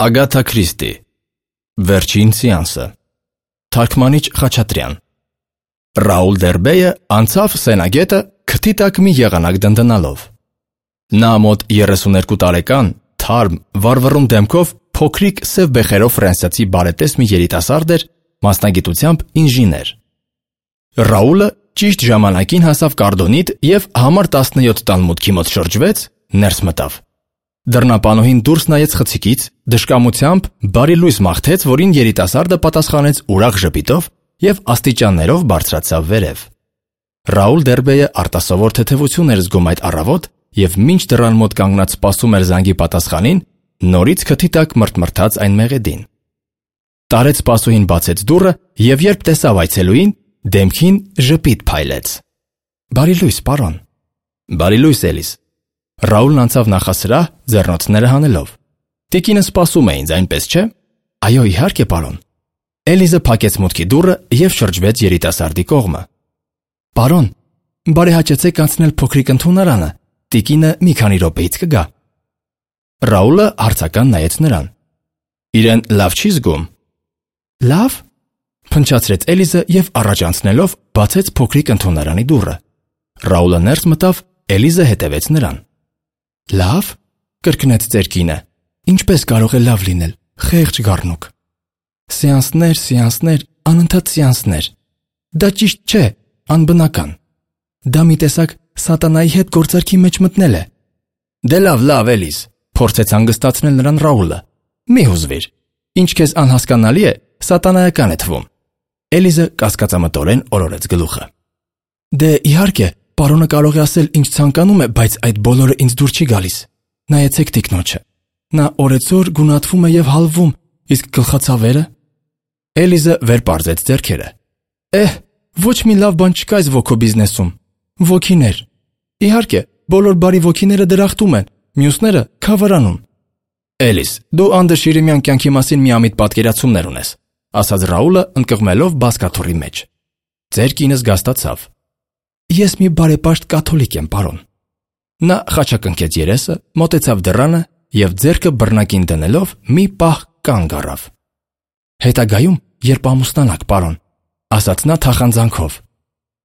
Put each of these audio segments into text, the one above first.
Ագաթա Քրիստի Վերջին սեանսը Թարգմանիչ Խաչատրյան Ռաուլ Դերբեյը անցավ Սենագետը քթի տակ մի եղանակ դնդնալով։ Նա մոտ 32 տարեկան, թարմ, վառվռուն դեմքով, փոքրիկ սև բեխերով ֆրանսիացի բարետես մի երիտասարդ էր, մասնագիտությամբ ինժեներ։ Ռաուլը ճիշտ ժամանակին հասավ Կարդոնիտ և համար 17 տան մուտքի մոտ շրջվեց, ներս մտավ։ Դռնապանուհին դուրս նայեց խցիկից, դժկամությամբ բարի լույս մաղթեց, որին երիտասարդը պատասխանեց ուրախ ժպիտով և աստիճաններով բարձրացավ վերև։ Ռաուլ Դերբեյը արտասովոր թեթևություն էր զգում այդ առավոտ և մինչ դռան մոտ կանգնած սպասում էր զանգի պատասխանին, նորից քթի տակ մրթմրթաց այն մեղեդին։ Տարեց սպասուհին բացեց դուռը և երբ տեսավ այցելուին, դեմքին ժպիտ փայլեց։ Բարի լույս, պարոն։ Բարի լույս, Էլիս։ Ռաուլն անցավ նախասրահ, ձեռնոցները հանելով։ Տիկինը սպասում է ինձ, այնպես չէ։ Այո, իհարկե, պարոն։ Էլիզը փակեց մուտքի դուռը և շրջվեց երիտասարդի կողմը։ Պարոն, բարեհաճեցեք անցնել փոքրիկ ընդունարանը, տիկինը մի քանի րոպեից կգա։ Ռաուլը հարցական նայեց նրան։ Իրեն լավ չի զգում։ Լավ, փնչացրեց Էլիզը և առաջ անցնելով բացեց փոքրիկ ընդունարանի դուռը։ Ռաուլը ներս մտավ, Էլիզը հետևեց նրան։ Լավ, կրկնեց ծեր կինը, ինչպես կարող է լավ լինել, խեղճ գառնուկ։ Սեանսներ, անընդհատ սեանսներ։ Դա ճիշտ չէ, անբնական։ Դա մի տեսակ սատանայի հետ գործարքի մեջ մտնել է։ Դե լավ, Էլիզ, փորձեց հանգստացնել նրան Ռաուլը։ Մի հուզվիր։ Ինչ քեզ անհասկանալի է, սատանայական է թվում։ Էլիզը կասկածամտորեն օրորեց գլուխը։ Դե իհարկե, պարոնը կարող է ասել ինչ ցանկանում է, բայց այդ բոլորը ինձ դուր չի գալիս։ Նայեցեք տիկնոջը։ Նա օրեցօր գունատվում է և հալվում, իսկ գլխացավերը։ Էլիզը վեր պարզեց ձեռքերը։ Ոչ մի լավ բան չկա այս ոգու բիզնեսում։ Ոգիներ։ Իհարկե, բոլոր բարի ոգիները դրախտում են, մյուսները քավարանում։ Էլիս, դու անդրշիրիմյան կյանքի մասին միամիտ պատկերացումներ ունես, ասաց Ռաուլը ընկղմելով բազկաթոռի մեջ։ Ձեր կինը զգաստացավ։ Ես մի բարեպաշտ կաթոլիկ եմ, պարոն։ Նա խաչակնքեց երեսը, մոտեցավ դռանը և ձեռքը բռնակին դնելով մի պահ կանգ առավ։ Հետագայում, երբ ամուսնանաք, պարոն, ասաց նա թախանձանքով,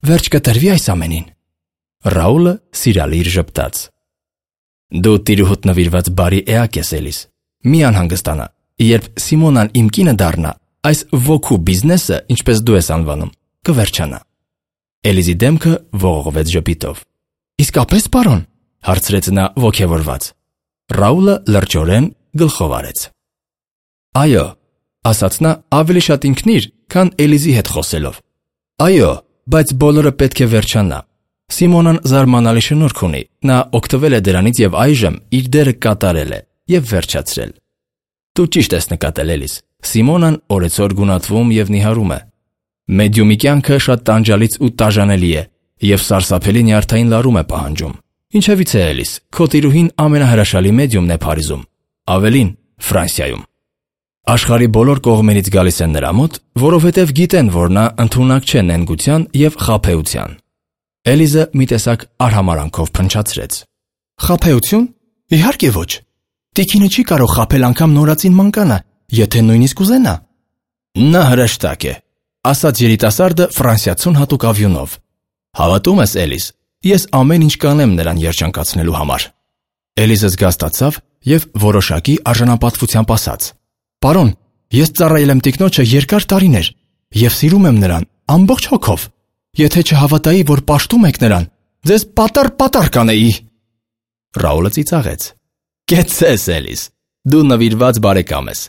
վերջ կտրվի այս ամենին։ Ռաուլը սիրալիր ժպտաց։ Դու տիրուհուդ նվիրված բարի էակ ես, Էլիս։ Մի անհանգստանա, երբ Սիմոնան իմ կինը դառնա, այս ոգու բիզնեսը, ինչպես դու ես անվանում, կվերջանա։ Էլիզի դեմքը ողողվեց ժպիտով։ Իսկապես, պարոն, հարցրեց նա ոգևորված։ Ռաուլը լրջորեն գլխով արեց։ Այո, ասաց նա ավելի շատ ինքնիր, քան Էլիզի հետ խոսելով։ Այո, բայց բոլորը պետք է վերջանա։ Սիմոնան զարմանալի շնորհք ունի, նա օգտվել է դրանից և այժմ իր դերը կատարել է և վերջացրել։ Դու ճիշտ ես նկատել, Էլիս, Սիմոնան օրեցօր գունատվում և նիհարում է։ Մեդիումի կյանքը շատ տանջալից ու տաժանելի է և սարսափելի նյարդային լարում է պահանջում։ Ինչևից է, Էլիս, քո տիրուհին ամենահրաշալի մեդիումն է Փարիզում, ավելին Ֆրանսիայում։ Աշխարհի բոլոր կողմերից գալիս են նրա մոտ, որովհետև գիտեն, որ նա ընդունակ չէ նենգության և խաբեության։ Էլիզը մի տեսակ արհամարանքով փնչացրեց։ Խաբեություն։ Իհարկե ոչ։ Տիկինը չի կարող խաբել անգամ նորածին մանկանը, եթե նույնիսկ ուզենա։ Նա հրեշտակ է, ասաց երիտասարդը ֆրանսիացուն հատուկ ավյունով։ Հավատում ես, Էլիս, ես ամեն ինչ կանեմ նրան երջանկացնելու համար։ Էլիզը զգաստացավ և որոշակի արժանապատվությամբ ասաց. Պարոն, ես ծառայել եմ տիկնոջը երկար տարիներ և սիրում եմ նրան ամբողջ հոգով։ Եթե չհավատայի, որ պաշտում եք նրան, ձեզ պատառ կանեի։ Ռաուլը ծիծաղեց։ Կեցցես, Էլիս, դու նվիրված բարեկամ ես։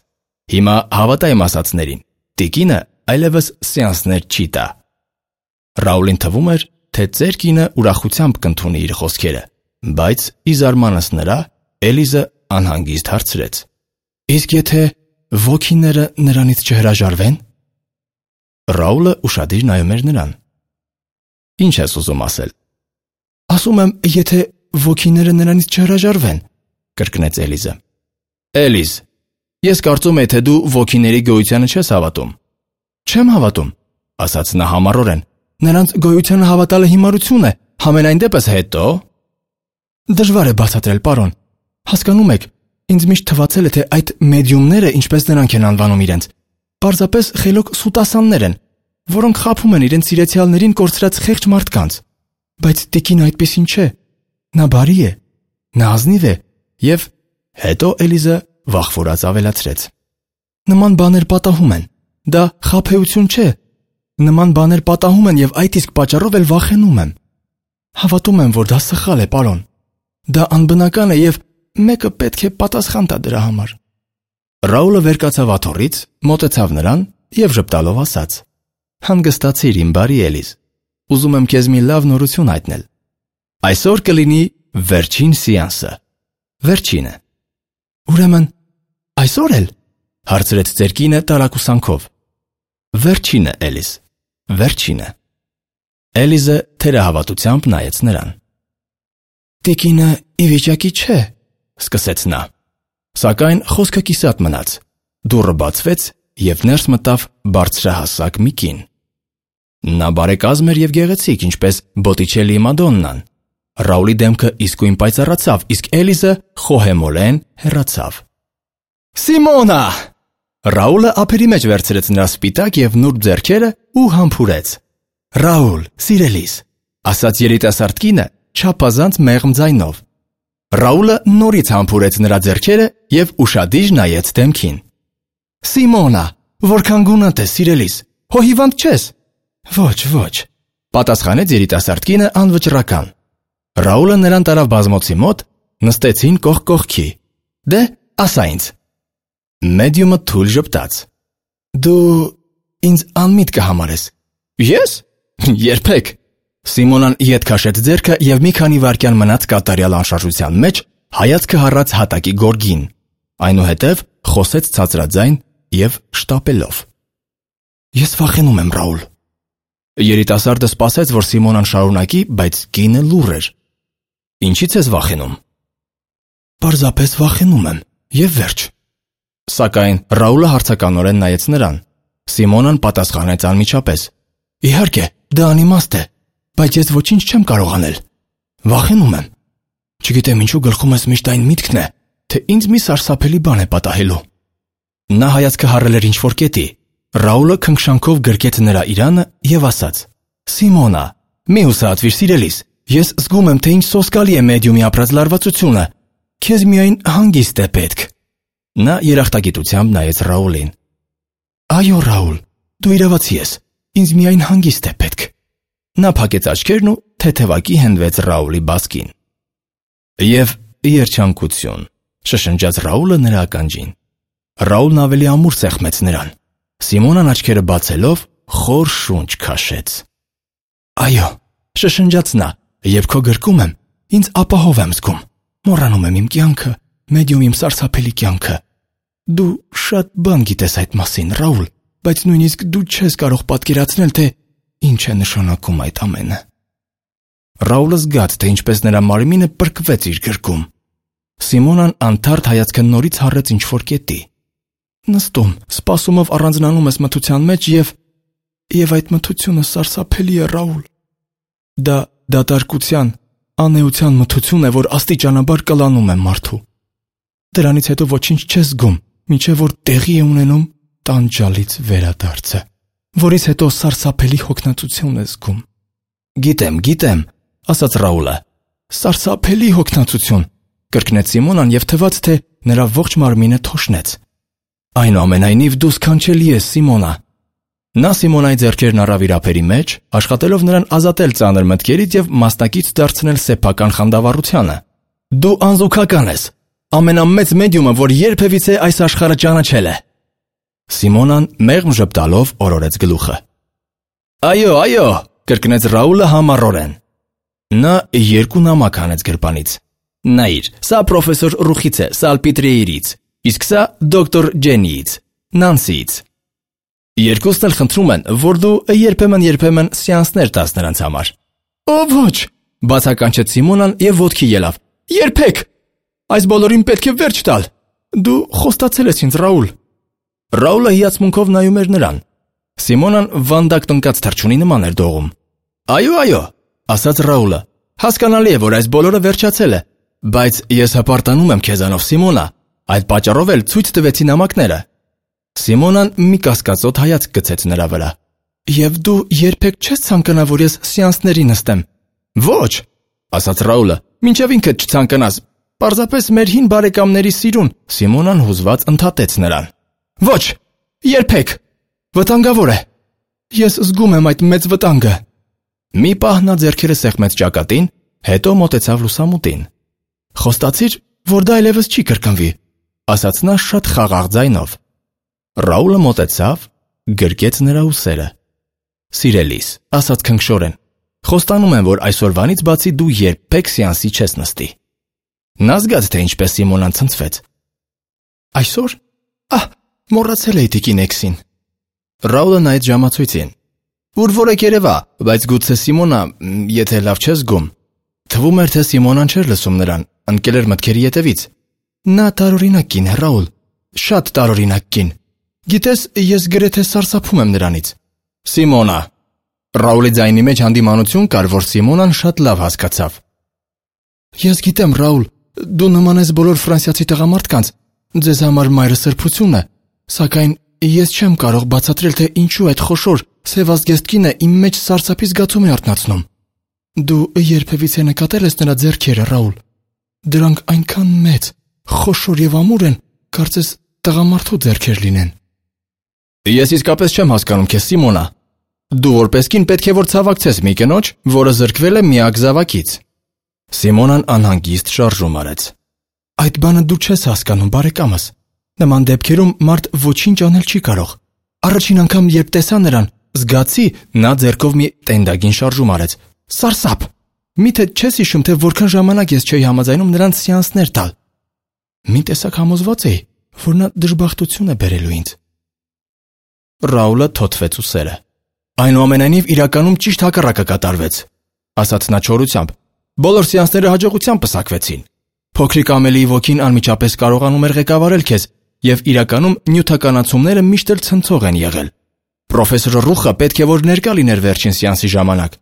Հիմա հավատա իմ ասածներին, տիկինը այլևս սեանսներ չի տա։ Ռաուլին թվում էր, թե ծեր կինը ուրախությամբ կընդունի իր խոսքերը, բայց ի զարմանս նրա, Էլիզը անհանգիստ հարցրեց. Իսկ եթե ոգիները նրանից չհրաժարվեն։ Ռաուլը ուշադիր նայում էր նրան։ Ինչ ես ուզում ասել։ Ասում եմ, եթե ոգիները նրանից չհրաժարվեն, կրկնեց Էլիզը։ Էլիզ, ես կարծում եմ, թե դու ոգիների գոյությանը չես հավատում։ Չեմ հավատում, ասաց նա համառորեն։ Նրանց գոյությանը հավատալը հիմարություն է, համենայն դեպս հետո։ Դժվար է բացատրել, պարոն։ Հասկանում եք, Ինձ միշտ թվացել է, թե այդ մեդիումները, ինչպես նրանք են անվանում իրենց, պարզապես խելոք սուտասաններ են, որոնք խաբում են իրենց սիրեցյալներին կորցրած խեղճ մարդկանց։ Բայց տիկինը այդպեսին չէ։ Նա բարի է, նա ազնիվ է եւ հետո Էլիզը վախվորած ավելացրեց. Նման բաներ պատահում են։ Դա խաբեություն չէ։ Նման բաներ պատահում են եւ այդ իսկ պատճառով էլ վախենում եմ։ Հավատում եմ, որ դա սխալ է, պարոն։ Դա անբնական է եւ մեկը պետք է պատասխան տա դրա համար։ Ռաուլը վեր կացավ աթոռից, մոտեցավ նրան եւ ժպտալով ասաց. Հանգստացիր, իմ բարի Էլիզ։ Ուզում եմ քեզ մի լավ նորություն հայտնել։ Այսօր կլինի վերջին սեանսը։ Վերջինը։ Ուրեմն այսօր էլ, հարցրեց ծեր կինը տարակուսանքով։ Վերջինը, Էլիզ, վերջինը։ Էլիզը թերահավատությամբ նայեց նրան։ Տիկինը ի վիճակի չէ, սկսեց նա։ Սակայն խոսքը կիսատ մնաց։ Դուռը բացվեց եւ ներս մտավ բարձրահասակ մի կին։ Նա բարեկազմ էր եւ գեղեցիկ, ինչպես Բոտիչելլիի Մադոննան։ Ռաուլի դեմքը իսկույն պայծառացավ, իսկ Էլիզը խոհեմորեն հեռացավ։ Սիմոնա! Ռաուլը ափերի մեջ վերցրեց նրա սպիտակ եւ նուրբ ձեռքերը ու համբուրեց։ Ռաուլ, սիրելիս, ասաց երիտասարդ կինը չափազանց մեղմ ձայնով։ Ռաուլը նորից համբուրեց նրա ձեռքերը եւ ուշադիր նայեց դեմքին։ Սիմոնա, որքան գունատ ես, սիրելիս, հո հիվանդ չես։ Ոչ, պատասխանեց երիտասարդ կինը անվճռական։ Ռաուլը նրան տարավ բազմոցի մոտ, նստեցին կողք կողքի։ Դե, ասա ինձ։ Մեդիումը թույլ ժպտաց։ Դու ինձ անմիտ կհամարես։ Ես? Երբեք։ Սիմոնան ետ քաշեց ձեռքը եւ մի քանի վայրկյան մնաց կատարյալ անշարժության մեջ, հայացքը հառած հատակի գորգին։ Այնուհետև խոսեց ցածրաձայն եւ շտապելով. Ես վախենում եմ, Ռաուլ։ Երիտասարդը սպասեց, որ Սիմոնան շարունակի, բայց կինը լուռ էր։ Ինչի՞ց ես վախենում։ Պարզապես վախենում եմ, եւ վերջ։ Սակայն Ռաուլը հարցականորեն նայեց նրան։ Սիմոնան պատասխանեց անմիջապես. Իհարկե, դա անիմաստ է, բայց ես ոչինչ չեմ կարող անել։ Վախենում եմ։ Չգիտեմ ինչու գլխում ես միշտ այն միտքն է, թե ինձ մի սարսափելի բան է պատահելու։ Նա հայացքը հառել էր ինչ-որ կետի։ Ռաուլը քնքշանքով գրկեց նրա իրանը եւ ասաց. Սիմոնա, մի հուսահատվիր, սիրելիս, ես զգում եմ, թե ինչ սոսկալի է մեդիումի ապրած լարվածությունը։ Քեզ միայն հանգիստ է պետք։ Նա երախտագիտությամբ նայեց Ռաուլին։ Այո, Ռաուլ, դու իրավացի ես։ Ինձ միայն հանգիստ է պետք։ Նա փակեց աչքերն ու թեթևակի հենվեց Ռաուլի բասկին։ Եվ երջանկություն, շշնջաց Ռաուլը նրա ականջին։ Ռաուլն ավելի ամուր սեղմեց նրան։ Սիմոնան աչքերը բացելով խոր շունչ քաշեց։ Այո, շշնջաց նա, երբ քո գրկում եմ, ինձ ապահով եմ զգում։ Մոռանում եմ իմ կյանքը, մեդիում իմ սարսափելի կյանքը։ Դու շատ բան գիտես այդ մասին, Ռաուլ, բայց նույնիսկ դու չես կարող պատկերացնել, թե ինչ է նշանակում այդ ամենը։ Ռաուլը զգաց, թե ինչպես նրա մարմինը պրկվեց իր գրկում։ Սիմոնան անթարթ հայացքը նորից հառեց ինչ-որ կետի։ Նստում, սպասումով առանձնանում ես մթության մեջ եւ այդ մթությունը սարսափելի է, Ռաուլ։ Դա դատարկության, անեության մթություն է, որ աստիճանաբար կլանում է մարդու։ Դրանից հետո ոչինչ չես զգում, մինչև որ տեղի է ունենում տանջալից վերադարձը, որից հետո սարսափելի հոգնածություն ես զգում։ Գիտեմ, ասաց Ռաուլը։ Սարսափելի հոգնածություն, կրկնեց Սիմոնան եւ թվաց, թե նրա ողջ մարմինը թոշնեց։ Այնուամենայնիվ դու սքանչելի ես, Սիմոնա։ Նա Սիմոնայի ձեռքերն առավ իր ափերի մեջ, աշխատելով նրան ազատել ծանր մտքերից եւ մասնակից դարձնել սեփական խանդավառությանը։ Դու անզուգական ես, ամենամեծ մեդիումը, որ երբևիցե այս աշխարհը ճանաչել է։ Սիմոնան մեղմ ժպտալով օրորեց գլուխը։ Այո, կրկնեց Ռաուլը համառորեն։ Նա երկու նամակ հանեց գրպանից։ Նայիր, սա պրոֆեսոր Ռուխից է, Սալպիտրեիրից, իսկ սա դոկտոր Ջենիից, Նանսիից։ Երկուսն էլ խնդրում են, որ դու երբեմն սեանսներ տաս նրանց համար։ Ոչ, բացականչեց Սիմոնան եւ ոտքի ելավ։ Երբեք։ Այս բոլորին պետք է վերջ տալ։ Դու խոստացել ես ինձ, Ռաուլ։ Ռաուլը հիացմունքով նայում էր նրան։ Սիմոնան վանդակ տնկած թռչունի նման էր դողում։ Այո, ասաց Ռաուլը։ Հասկանալի է, որ այս բոլորը վերջացել է, բայց ես հպարտանում եմ քեզանով, Սիմոնա։ Այդ պատճառով էլ ցույց տվեցի նամակները։ Սիմոնան մի կասկածոտ հայացք գցեց նրա վրա։ Եվ դու երբեք չես ցանկանա, որ ես սեանսների նստեմ։ Ոչ, ասաց Ռաուլը, մինչև ինքդ չցանկանաս։ Պարզապես մեր հին բարեկամների սիրուն։ Սիմոնան հուզված ընդհատեց նրան։ Ոչ, երբեք։ Վտանգավոր է։ Ես զգում եմ այդ մեծ վտանգը։ Մի պահ նա ձեռքերը սեղմեց ճակատին, հետո մոտեցավ լուսամուտին։ Խոստացիր, որ դա այլևս չի կրկնվի, ասաց նա շատ խաղաղ ձայնով։ Ռաուլը մոտեցավ, գրկեց նրա ուսերը։ Սիրելիս, ասաց քնքշորեն, խոստանում եմ, որ այսօրվանից բացի դու երբեք սեանսի չես նստի։ Նա զգաց, թե ինչպես Սիմոնան ցնցվեց։ Այսօր։ Մոռացել էի տիկին Էքսին։ Ռաուլը նայեց ժամացույցին։ Ուր որեք երևա, բայց գուցե Սիմոնա, եթե լավ չես զգում։ Թվում էր, թե Սիմոնան չէր լսում նրան, ընկել էր մտքերի ետևից։ Նա տարօրինակ կին է, Ռաուլ, շատ տարօրինակ կին։ Գիտես, ես գրեթե սարսափում եմ նրանից։ Սիմոնա։ Ռաուլի ձայնի մեջ հանդիմանություն կար, որ Սիմոնան շատ լավ հասկացավ։ Ես գիտեմ, Ռաուլ, դու նման ես բոլոր ֆրանսիացի տղամարդկանց, ձեզ համար մայրը սրբություն է, սակայն ես չեմ կարող բացատրել, թե ինչու այդ խոշոր, սևազգեստ կինը իմ մեջ սարսափի զգացում է արթնացնում։ Դու երբևիցե նկատել ես նրա ձեռքերը, Ռաուլ։ Դրանք այնքան մեծ, խոշոր եւ ամուր են, կարծես տղամարդու ձեռքեր լինեն։ Ես իսկապես չեմ հասկանում քեզ, Սիմոնա։ Դու որպես կին պետք է որ ցավակցես մի կնոջ, որը զրկվել է միակ զավակից։ Սիմոնան անհանգիստ շարժում արեց։ Այդ բանը դու չես հասկանում, բարեկամս։ Նման դեպքերում մարդ ոչինչ անել չի կարող։ Առաջին անգամ երբ տեսա նրան, զգացի, նա ձեռքով մի տենդագին շարժում արեց։ Սարսափ։ Միթե չես հիշում, թե որքան ժամանակ ես չէի համաձայնում նրանց սեանսներ տալ։ Մի տեսակ համոզված էի, որ նա դժբախտություն է բերելու ինձ։ Ռաուլը թոթվեց ուսերը։ Այնուամենայնիվ իրականում ճիշտ հակառակը կատարվեց, ասաց նա չորությամբ։ Բոլոր սեանսները հաջողությամբ պսակվեցին։ Փոքրիկ Ամելիի ոգին անմիջապես կարողանում էր ղեկավարել քեզ, եւ իրականում նյութականացումները միշտ էլ ցնցող են եղել։ Պրոֆեսոր Ռուխը պետք է որ ներկա լիներ վերջին սեանսի ժամանակ։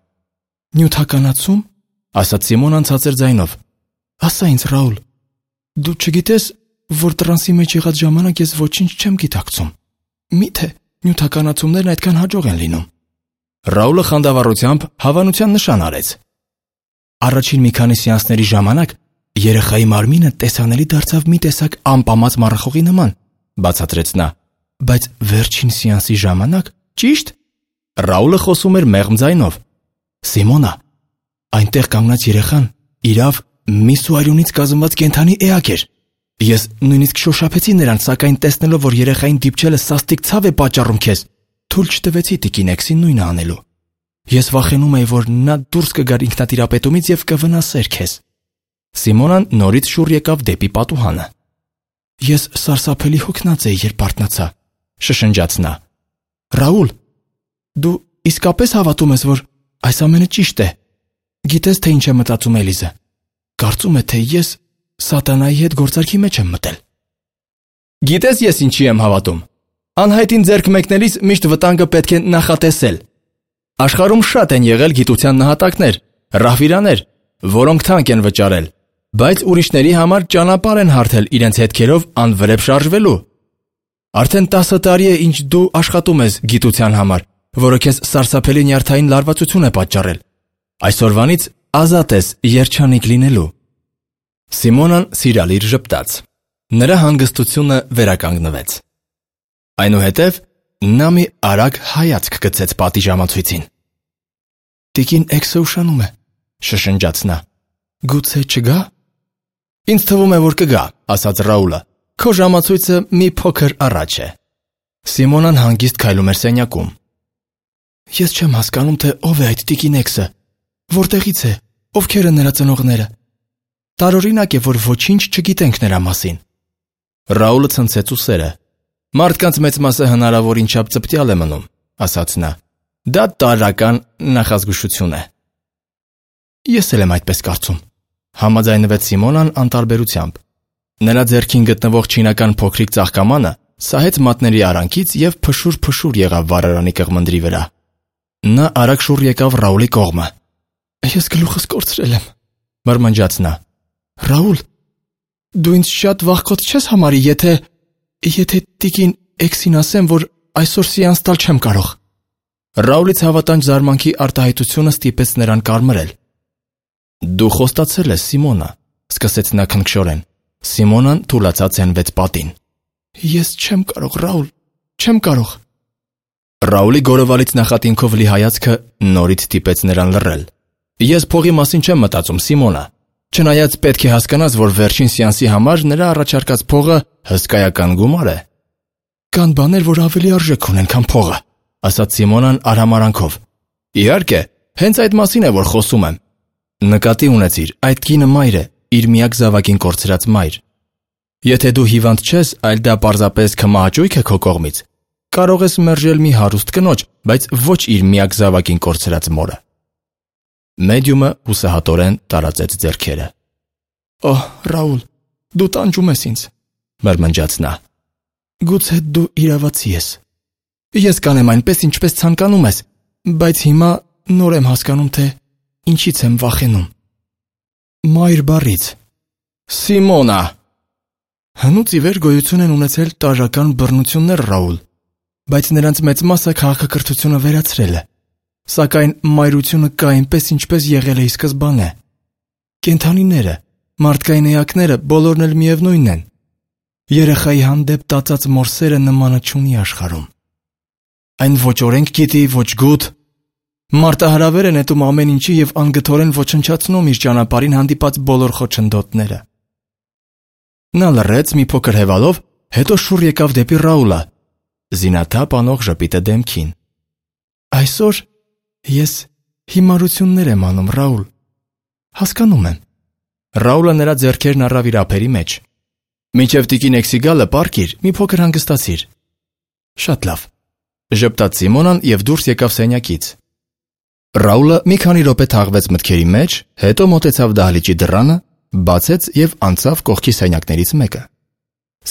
Նյութականացում, ասաց Սիմոնան ցածր ձայնով։ Ասա ինձ, Ռաուլ, դու չգիտես, որ տրանսի մեջ եղած ժամանակ ես ոչինչ չեմ գիտակցում։ Միթե նյութականացումներն այդքան հաջող են լինում։ Ռաուլը խանդավառությամբ հավանության նշան արեց։ Առաջին մի քանի սեանսների ժամանակ երեխայի մարմինը տեսանելի դարձավ մի տեսակ անպամած մառախողի նման, բացատրեց նա, բայց վերջին սեանսի ժամանակ, ճիշտ։ Ռաուլը խոսում էր մեղմ ձայնով։ Սիմոնա, այնտեղ կանգնած երեխան իրավ միսու արյունից կազմված կենդանի էակ էր։ Ես նույնիսկ շոշափեցի նրան, սակայն տեսնելով, որ երեխային դիպչելը սաստիկ ցավ է պատճառում քեզ, թույլ չտվեցի տիկին Էքսին նույնը անելու։ Ես վախենում էի, որ նա դուրս կգար ինքնատիրապետումից եւ կվնասեր քեզ։ Սիմոնան նորից շուռ եկավ դեպի պատուհանը։ Ես սարսափելի հոգնած էի, երբ արթնացա, շշնջաց նա։ Ռաուլ, դու իսկապես հավատում ես, որ այս ամենը ճիշտ է։ Գիտես, թե ինչ է մտածում Էլիզը։ Կարծում է, թե ես սատանայի հետ գործարքի մեջ եմ մտել։ Գիտես, ես ինչի եմ հավատում։ Անհայտին ձեռք մեկնելիս միշտ վտանգը պետք է նախատեսել։ Աշխարհում շատ են եղել գիտության նահատակներ, ռահվիրաներ, որոնք թանկ են վճարել, բայց ուրիշների համար ճանապարհ են հարթել իրենց հետքերով անվրեպ շարժվելու։ Արդեն 10 տարի է, ինչ դու աշխատում ես գիտության համար, որը քեզ սարսափելի նյարդային լարվածություն է պատճառել։ Այսօրվանից ազատ ես երջանիկ լինելու։ Սիմոնան սիրալիր ժպտաց։ Նրա հանգստությունը վերականգնվեց։ Այնուհետև նա մի արագ հայացք գցեց պատի ժամացույցին։ Տիկին Էքսը ուշանում է, շշնջաց նա։ Գուցե չգա։ Ինձ թվում է, որ կգա, ասաց Ռաուլը։ Քո ժամացույցը մի փոքր առաջ է։ Սիմոնան հանգիստ քայլում էր սենյակում։ Ես չեմ հասկանում, թե ով է այդ տիկին Էքսը, որտեղից է, ովքեր են նրա ծնողները։ Տարօրինակ է, որ ոչինչ չգիտենք նրա մասին։ Ռաուլը ցնցեց ուսերը։ Մարդկանց մեծ մասը հնարավոր ինչապ ծպտյալ է մնում, ասաց նա։ Դա տարրական նախազգուշություն է։ Ես էլ եմ այդպես կարծում, համաձայնվեց Սիմոնան անտարբերությամբ։ Նրա ձեռքին գտնվող չինական փոքրիկ ծաղկամանը սահեց մատների արանքից եւ փշուր եղավ վառարանի կղմնդրի վրա։ Նա արագ շուռ եկավ Ռաուլի կողմը։ Ես գլուխս կորցրել եմ, մրմնջաց նա։ Ռաուլ, Դու ինձ շատ վախկոտ չես համարի, եթե տիկին Էքսին ասեմ, որ այսօր սեանս տալ չեմ կարող։ Ռաուլից հավատանջ զարմանքի արտահայտությունը ստիպեց նրան կարմրել։ Դու խոստացել ես, Սիմոնա, սկսեց նա քնքշորեն։ Սիմոնան թուլացած հենվեց պատին։ Ես չեմ կարող, Ռաուլ, չեմ կարող։ Ռաուլի գորովալից նախատինքով լի հայացքը նորից ստիպեց նրան լռել։ Ես փողի մասին չեմ մտածում, Սիմոնա։ Չնայած պետք է հասկանաս, որ վերջին սեանսի համար նրա առաջարկած փողը հսկայական գումար է։ Կան բաներ, որ ավելի արժեք ունեն, քան փողը, ասաց Սիմոնան արհամարանքով։ Իհարկե, հենց այդ մասին է, որ խոսում եմ։ Նկատի ունեցիր, այդ կինը մայր է, իր միակ զավակին կորցրած մայր։ Եթե դու հիվանդ չես, այլ դա պարզապես քմահաճույք է քո կողմից, կարող ես մերժել մի հարուստ կնոջ, բայց ոչ իր միակ զավակին կորցրած մորը։ Մեդիումը հուսահատորեն տարածեց ձեռքերը։ Օհ, Ռաուլ, դու տանջում ես ինձ, մրմնջաց նա։ Գուցե դու իրավացի ես։ Ես կանեմ այնպես, ինչպես ցանկանում ես, բայց հիմա նոր եմ հասկանում, թե ինչից եմ վախենում։ Մայր բառից։ Սիմոնա։ Հնուց ի վեր գոյություն են ունեցել տարրական բռնություններ, Ռաուլ, բայց նրանց մեծ մասը քաղաքակրթությունը վերացրել է։ Սակայն մայրությունը կա այնպես, ինչպես եղել է ի սկզբանե։ Կենդանիները, մարդկային էակները բոլորն էլ միևնույնն են։ Երեխայի հանդեպ տածած մորսերը նմանը չունի աշխարհում։ Այն ոչ օրենք գիտի, ոչ գութ։ Մարտահրավեր է նետում ամեն ինչի և անգթորեն ոչնչացնում իր ճանապարհին հանդիպած բոլոր խոչընդոտները։ Նա լռեց մի փոքր հևալով, հետո շուռ եկավ դեպի Ռաուլը, զինաթափ անող ժպիտը դեմքին։ Այսօր ես հիմարություններ եմ անում, Ռաուլ։ Հասկանում եմ։ Ռաուլը նրա ձեռքերն առավ իր ափերի մեջ։ Մինչև տիկին Էքսի գալը պառկիր, մի փոքր հանգստացիր։ Շատ լավ, ժպտաց Սիմոնան և դուրս եկավ սենյակից։ Ռաուլը մի քանի րոպե թաղվեց մտքերի մեջ, հետո մոտեցավ դահլիճի դռանը, բացեց և անցավ կողքի սենյակներից մեկը։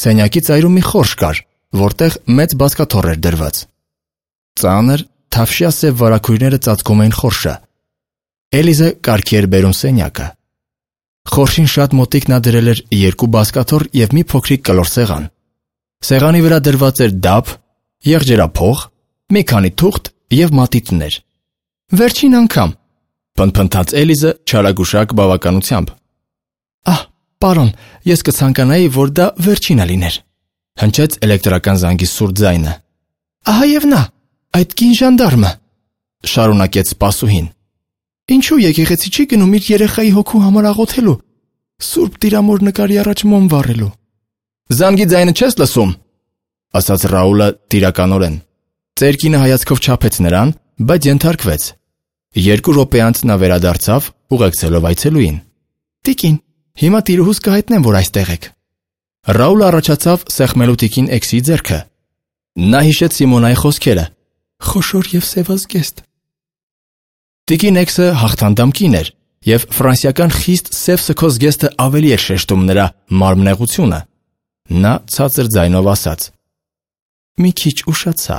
Սենյակի ծայրում մի խորշ կար, որտեղ մեծ բազկաթոռ էր դրված։ Ծանր, թավշյա սև վարագույրները ծածկում էին խորշը։ Էլիզը կարգի էր բերում սենյակը։ Խորշին շատ մոտիկ նա դրել էր 2 բազկաթոռ և մի փոքրիկ կլոր սեղան։ Սեղանի վրա դրված էր դափ, եղջերափող, մի քանի թուղթ և մատիտներ։ Վերջին անգամ, փնթփնթաց Էլիզը չարագուշակ բավականությամբ։ Ահ, պարոն, ես կցանկանայի, որ դա վերջինը լիներ, հնչեց էլեկտրական զանգի սուր ձայնը։ Ահա և նա, այդ կին ժանդարմը, շարունակեց սպասուհին։ Ինչու եկեղեցի չի գնում իր երեխայի հոգու համար աղոթելու, Սուրբ Տիրամոր նկարի առաջ մոմ վառելու։ Զանգի ձայնը չես լսում, ասաց Ռաուլը տիրականորեն։ Ծերկինը հայացքով չափեց նրան, բայց ենթարկվեց։ 2 րոպե անց նա վերադարձավ, ուղեկցելով այցելուին։ Տիկին, հիմա տիրուհուս կհայտնեմ, որ այստեղ եք։ Ռաուլը առաջացավ սեղմելու տիկին Էքսի ձեռքը։ Նա հիշեց Սիմոնայի խոսքերը։ Խոշոր և սևազգեստ։ Տիկին Էքսը հաղթանդամ կին էր, և ֆրանսիական խիստ սև սքոզգեստը ավելի էր շեշտում նրա մարմնեղությունը։ Նա ցածր ձայնով ասաց. Մի քիչ ուշացա։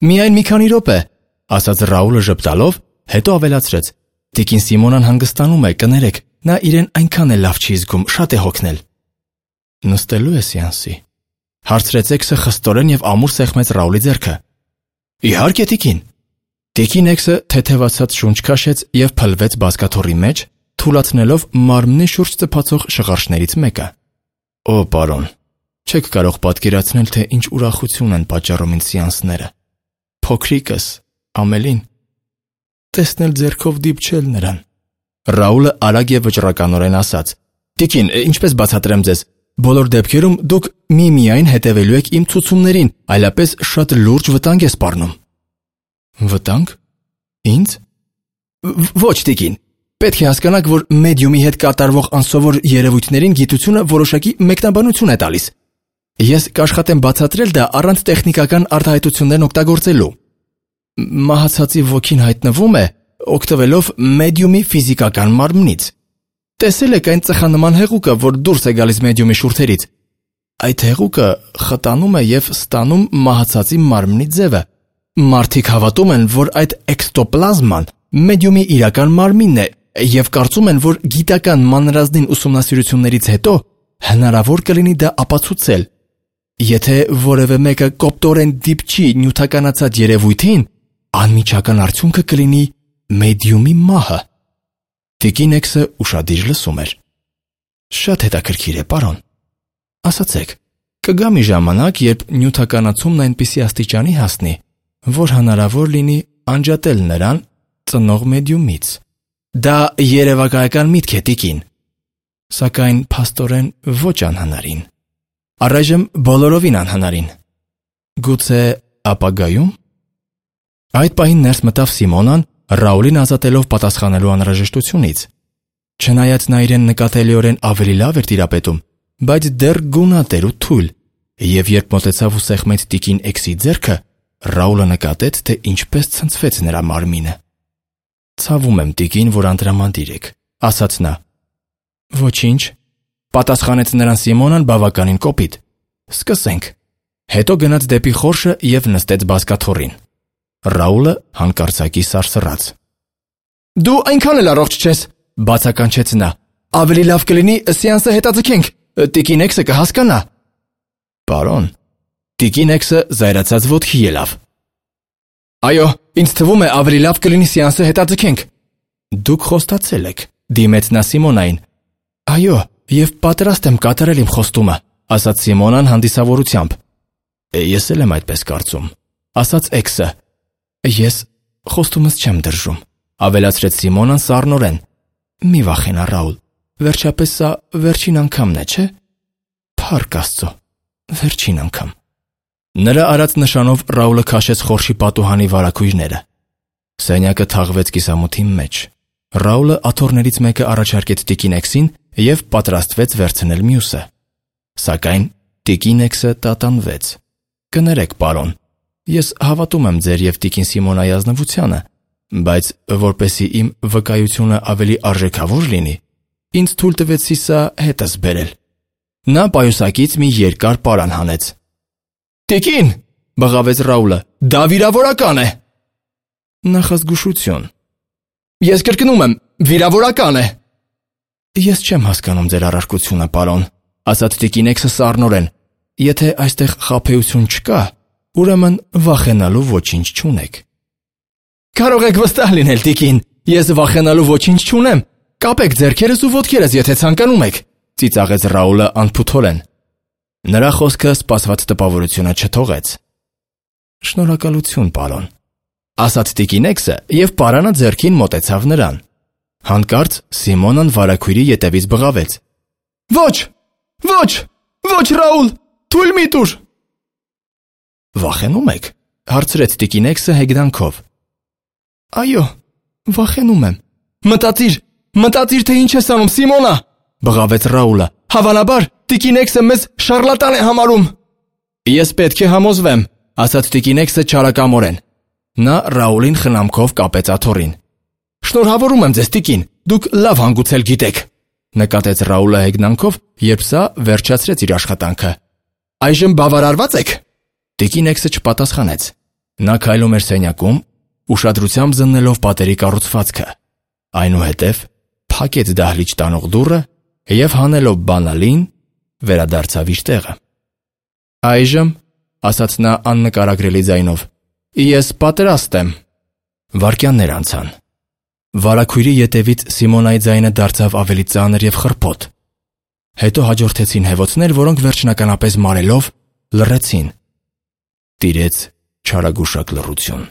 Միայն մի քանի րոպե, ասաց Ռաուլը ժպտալով, հետո ավելացրեց. Տիկին Սիմոնան հանգստանում է, կներեք, նա իրեն այնքան է լավ չի զգում, շատ է հոգնել։ Նստելու է սեանսի, հարցրեց Էքսը խստորեն և ամուր սեղմեց Ռաուլի ձեռքը։ Իհարկե, տիկին։ Տիկին Էքսը թեթևացած շունչ քաշեց և փլվեց բազկաթոռի մեջ, թուլացնելով մարմնի շուրջ ծփացող շղարշներից մեկը։ Օ, պարոն, չեք կարող պատկերացնել, թե ինչ ուրախություն են պատճառում ինձ սեանսները։ Փոքրիկս, Ամելին, տեսնել ձեռքով դիպչել նրան։ Ռաուլը արագ և վճռականորեն ասաց. Տիկին, ինչպես բացատրեմ ձեզ, բոլոր դեպքերում դուք միմիայն հետևելու եք իմ ցուցումներին, այլապես շատ լուրջ վտանգ է սպառնում։ Վտանգ։ Ինձ։ Ոչ, տիկին, պետք է հասկանաք, որ մեդիումի հետ կատարվող անսովոր երևույթներին գիտությունը որոշակի մեկնաբանություն է տալիս։ Ես կաշխատեմ բացատրել դա առանց տեխնիկական արտահայտություններն օգտագործելու։ Մահացածի ոգին հայտնվում է, օգտվելով մեդիումի ֆիզիկական մարմնից։ Տեսել եք այն ծխանման հեղուկը, որ դուրս է գալիս մեդիումի շուրթերից։ Այդ հեղուկը խտանում է և ստանում մահացածի մարմնի ձևը։ Մարդիկ հավատում են, որ այդ էքստոպլազման մեդիումի իրական մարմինն է և կարծում են, որ գիտական մանրազնին ուսումնասիրություններից հետո հնարավոր կլինի դա ապացուցել։ Եթե որևէ մեկը կոպտորեն դիպչի նյութականացած երևույթին, անմիջական արդյունքը կլինի մեդիումի մահը։ Տիկին Էքսը ուշադիր լսում էր։ Շատ հետաքրքիր է, պարոն։ Ասացեք, կգա մի ժամանակ, երբ նյութականացումն այնպիսի աստիճանի հասնի, որ հնարավոր լինի անջատել նրան ծնող մեդիումից։ Դա երևակայական միտք է, տիկին, սակայն փաստորեն ոչ անհնարին։ Առայժմ բոլորովին անհնարին։ Գուցե ապագայում։ Այդ պահին ներս մտավ Սիմոնան, Ռաուլին ազատելով պատասխանելու անհրաժեշտությունից։ Չնայած նա իրեն նկատելիորեն ավելի լավ էր տիրապետում, բայց դեռ գունատ էր ու թույլ, եւ երբ մոտեցավ ու սեղմեց տիկին Էքսի ձեռքը, Ռաուլը նկատեց, թե ինչպես ցնցվեց նրա մարմինը։ Ցավում եմ, տիկին, որ անտրամադիր եք, ասաց նա։ Ոչինչ, պատասխանեց նրան Սիմոնան բավականին կոպիտ։ Սկսենք։ Հետո գնաց դեպի խորշը եւ նստեց բազկաթոռին։ Ռաուլը հանկարծակի սարսռաց։ Դու այնքան էլ առողջ չես, բացականչեց նա։ Ավելի լավ կլինի սեանսը հետաձգենք, տիկին Էքսը կհասկանա։ Պարոն, տիկին Էքսը զայրացած ոտքի ելավ։ Այո, ինձ թվում է ավելի լավ կլինի սեանսը հետաձգենք։ Դուք խոստացել եք, դիմեց նա Սիմոնային։ Այո, եւ պատրաստ եմ կատարել իմ խոստումը, ասաց Սիմոնան հանդիսավորությամբ։ Ես էլ եմ այդպես կարծում, ասաց Էքսը։ Ես խոստումս չեմ դրժում, ավելացրեց Սիմոնան սառնորեն։ Մի վախենա, Ռաուլ, վերջապես սա վերջին անգամն է, չէ՞։ Փառք Աստծո, վերջին անգամ։ Նրա արած նշանով Ռաուլը քաշեց խորշի պատուհանի վարագույրները։ Սենյակը թաղվեց կիսամութի մեջ։ Ռաուլը աթոռներից մեկը առաջարկեց տիկին Էքսին եւ պատրաստվեց վերցնել մյուսը։ Սակայն տիկին Էքսը տատանվեց։ Կներեք, պարոն, ես հավատում եմ ձեր եւ տիկին Սիմոնայի ազնվությանը, բայց որպեսզի իմ վկայությունը ավելի արժեքավոր լինի, ինձ թույլ տվեցի սա հետս բերել։ Նա պայուսակից մի երկար պարան հանեց։ Տիկին, բղավեց Ռաուլը, դա վիրավորական է։ Նախազգուշություն։ Ես կրկնում եմ, վիրավորական է։ Ես չեմ հասկանում ձեր առարկությունը, պարոն, ասաց տիկին Էքսը սառնորեն։ Եթե այստեղ խաբեություն չկա, ուրեմն վախենալու ոչինչ չունեք։ Կարող եք վստահ լինել, տիկին, ես վախենալու ոչինչ չունեմ։ Կապեք ձեռքերս ու ոտքերս, եթե ցանկանում եք, ծիծաղեց Ռաուլը անփութորեն։ Նրա խոսքը սպասված տպավորությունը չթողեց։ Շնորհակալություն, պարոն, ասաց տիկին Էքսը եւ պարանը ձեռքին մոտեցավ նրան։ Հանկարծ Սիմոնան վարագույրի ետևից բղավեց. Ոչ, ոչ, ոչ, Ռաուլ, թույլ մի տուր։ Վախենում եք, հարցրեց տիկին Էքսը հեգնանքով։ Այո, վախենում եմ։ Մտածիր, թե ինչ ես անում, Սիմոնա, բղավեց Ռաուլը։ Հավանաբար տիկին Էքսը մեզ շարլատան է համարում։ Ես պետք է համոզվեմ, ասաց տիկին Էքսը չարակամորեն։ Նա Ռաուլին խնամքով կապեց աթոռին։ Շնորհավորում եմ ձեզ, տիկին, դուք լավ հանգուցել գիտեք, նկատեց Ռաուլը հեգնանքով, երբ սա վերջացրեց իր աշխատանքը։ Այժմ բավարարված եք։ Տիկին Էքսը չպատասխանեց։ Նա քայլում էր սենյակում, ուշադրությամբ զննելով պատերի կառուցվածքը։ Այնուհետև փակեց դահլիճ տանող դուռը եւ հանելով բանալին վերադարձավ իր տեղը։ Այժմ, ասաց նա աննկարագրելի ձայնով, ես պատրաստ եմ։ Վայրկյաններ անցան։ Վարագույրի ետևից Սիմոնայի ձայնը դարձավ ավելի ծանր եւ խռպոտ։ Հետո հաջորդեցին հևոցներ, որոնք վերջնականապես մարելով լռեցին։ Տիրեց չարագուշակ լռություն։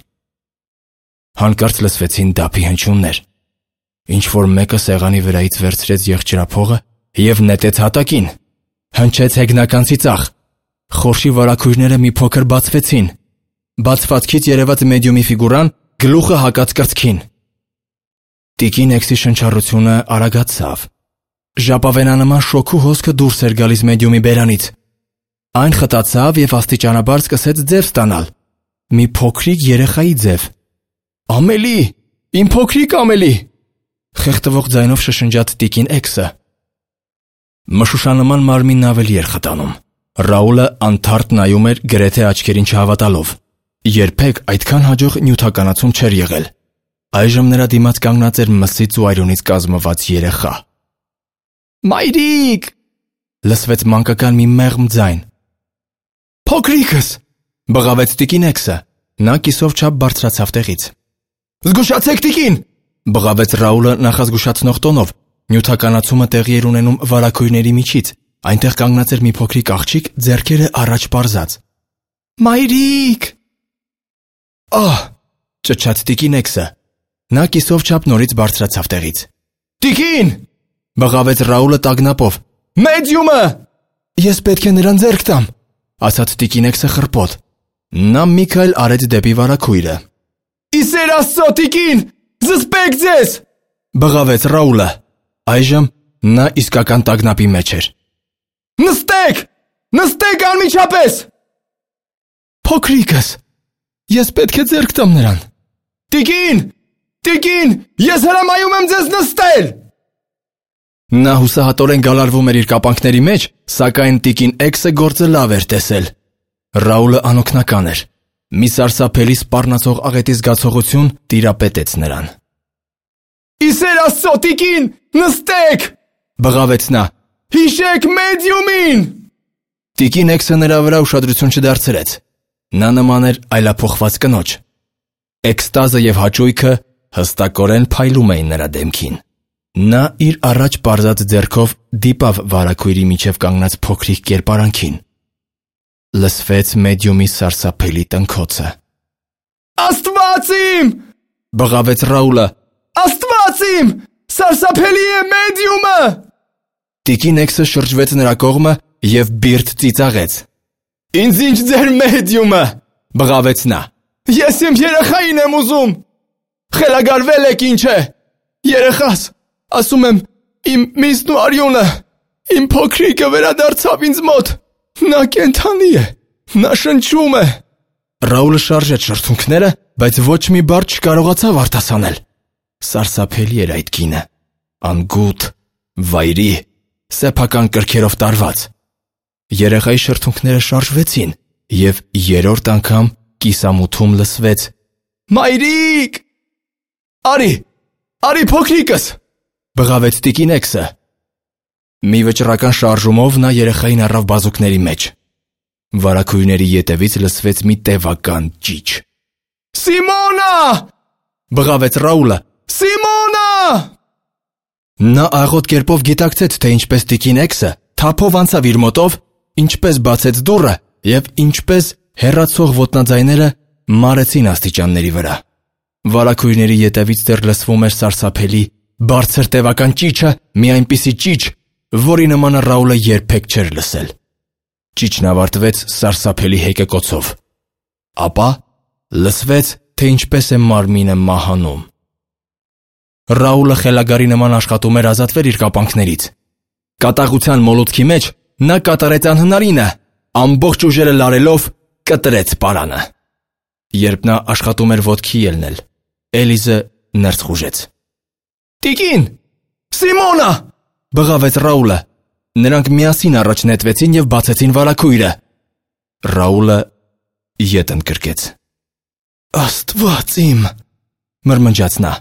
Հանկարծ լսվեցին դափի հնչյուններ։ Ինչ-որ մեկը սեղանի վրայից վերցրեց եղջերափողը եւ նետեց հատակին։ Հնչեց հեգնական ծիծաղ։ Խորշի վարագույրները մի փոքր բացվեցին։ Բացվածքից երևաց մեդիումի ֆիգուրան, գլուխը հակած կրծքին։ Տիկին Էքսի շնչառությունը արագացավ։ Ժապավենանման շոքու հոսքը դուրս էր գալիս մեդիումի բերանից։ Այն խտացավ եւ աստիճանաբար սկսեց ձև ստանալ։ Մի փոքրիկ երեխայի ձև։ Ամելի, իմ փոքրիկ Ամելի, խեղդվող ձայնով շշնջաց տիկին Էքսը։ Մշուշանման մարմինն ավելի էր խտանում։ Ռաուլը անթարթ նայում էր գրեթե աչքերին չհավատալով։ Երբեք այդքան հաջող նյութականացում չէր եղել։ Այժմ նրա դիմաց կանգնած էր մսից ու այրունից կազմված երեխա։ Մայրիկ, լսվեց մանկական մի մեղմ ձայն։ «Փոքրիկս», բղավեց տիկին Էքսը։ Նա կիսով չափ բարձրացավ տեղից։ «Զգուշացեք, տիկին», բղավեց Ռաուլը նախազգուշացնող տոնով։ Նյութականացումը տեղի էր ունենում վարագույրների միջից, այնտեղ կանգնած էր մի փոքրիկ աղջիկ, ձեռքերը առաջ պարզած։ «Մայրիկ»։ «Ահ», ճչաց տիկին Էքսը։ Նա կիսով չափ նորից բարձրացավ տեղից։ «Տիկին», բղավեց Ռաուլը տագնապով։ «Մեդիումը»։ «Ես պետք է նրան ձեռք տամ», ասաց տիկին Էքսը խռպոտ։ Նա մի քայլ արեց դեպի վարագույրը։ «Ի սեր Աստծո, տիկին, զսպեք ձեզ», բղավեց Ռաուլը։ Այժմ նա իսկական տագնապի մեջ էր։ «Նստեք, նստեք անմիջապես»։ «Փոքրիկս, ես պետք է ձեռք տամ նրան»։ Տիկին, ես հրամայում եմ ձեզ նստել»։ Նա հուսահատորեն գալարվում էր իր կապանքների մեջ, սակայն տիկին Էքսը գործը լավ էր տեսել։ Ռաուլը անօգնական էր։ Մի սարսափելի սպառնացող աղետի զգացողություն տիրապետեց նրան։ «Ի սեր Աստծո, տիկին, նստեք», բղավեց նա։ «Հիշեք մեդիումին»։ Տիկին Էքսը նրա վրա ուշադրություն չդարձրեց։ Նա նման էր այլափոխված կնոջ։ Էքստազը եւ հաճույքը հստակորեն փայլում էին նրա դեմքին։ Նա իր առաջ պարզած ձեռքով դիպավ վարագույրի միջև կանգնած փոքրիկ կերպարանքին։ Լսվեց մեդիումի սարսափելի տնքոցը։ «Աստված իմ», բղավեց Ռաուլը։ «Աստված իմ, սարսափելի է մեդիումը»։ Տիկին Էքսը շրջվեց նրա կողմը եւ բիրտ ծիծաղեց։ «Ինձ ինչ ձեր մեդիումը», բղավեց նա։ «Ես իմ երեխային եմ ուզում։ Խելագարվել եք ինչ է։ Երեխաս, ասում եմ, իմ միսն ու արյունը, իմ փոքրիկը վերադարձավ ինձ մոտ։ Նա կենդանի է, նա շնչում է»։ Ռաուլը շարժեց շրթունքները, բայց ոչ մի բառ չկարողացավ արտասանել։ Սարսափելի էր այդ կինը, անգութ, վայրի, սեփական կրքերով տարված։ Երեխայի շրթունքները շարժվեցին, եւ երրորդ անգամ կիսամութում լսվեց. «Մայրիկ»։ Արի փոքրիկս», բղավեց տիկին Էքսը։ Մի վճռական շարժումով նա երեխային առավ բազուկների մեջ։ Վարագույրների ետևից լսվեց մի տևական ճիչ։ «Սիմոնա», բղավեց Ռաուլը։ «Սիմոնա»։ Նա աղոտ կերպով գիտակցեց, թե ինչպես տիկին Էքսը թափով անցավ իր մոտով, ինչպես բացեց դուռը եւ ինչպես հեռացող ոտնաձայները մարեցին աստիճանների վրա։ Վարագույրների ետևից դեռ լսվում էր սարսափելի, բարձր տևական ճիչը, մի այնպիսի ճիչ, որի նմանը Ռաուլը երբեք չէր լսել։ Ճիչն ավարտվեց սարսափելի հեկեկոցով։ Ապա լսվեց, թե ինչպես է մարմինը մահանում։ Ռաուլը խելագարի նման աշխատում էր ազատվել իր կապանքներից։ Կատաղության մոլուցքի մեջ նա կատարեց անհնարինը, ամբողջ ուժերը լարելով կտրեց պարանը։ Երբ նա աշխատում էր ոտքի ելնել, Էլիզը ներս խուժեց։ «Տիկին, Սիմոնա», բղավեց Ռաուլը։ Նրանք միասին առաջ նետվեցին եւ բացեցին վարագույրը։ Ռաուլը ետ ընկրկեց։ «Աստված իմ», մրմնջաց նա։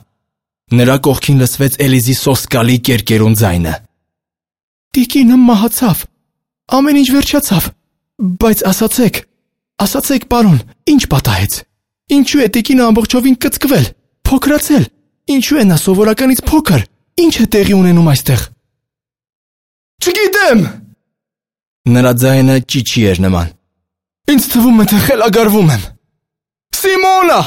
Նրա կողքին լսվեց Էլիզի սոսկալի կերկերուն ձայնը։ «Տիկինը մահացավ, ամեն ինչ վերջացավ, բայց ասացեք, պարոն, ինչ պատահեց։ Ինչու է տիկինը ամբողջովին կծկվել, փոքրացել, ինչու է նա սովորականից փոքր, ինչ է տեղի ունենում այստեղ»։ «Չգիտեմ», նրա ձայնը ճիչի էր նման։ «Ինձ թվում է, թե խելագարվում եմ։ Սիմոնա»։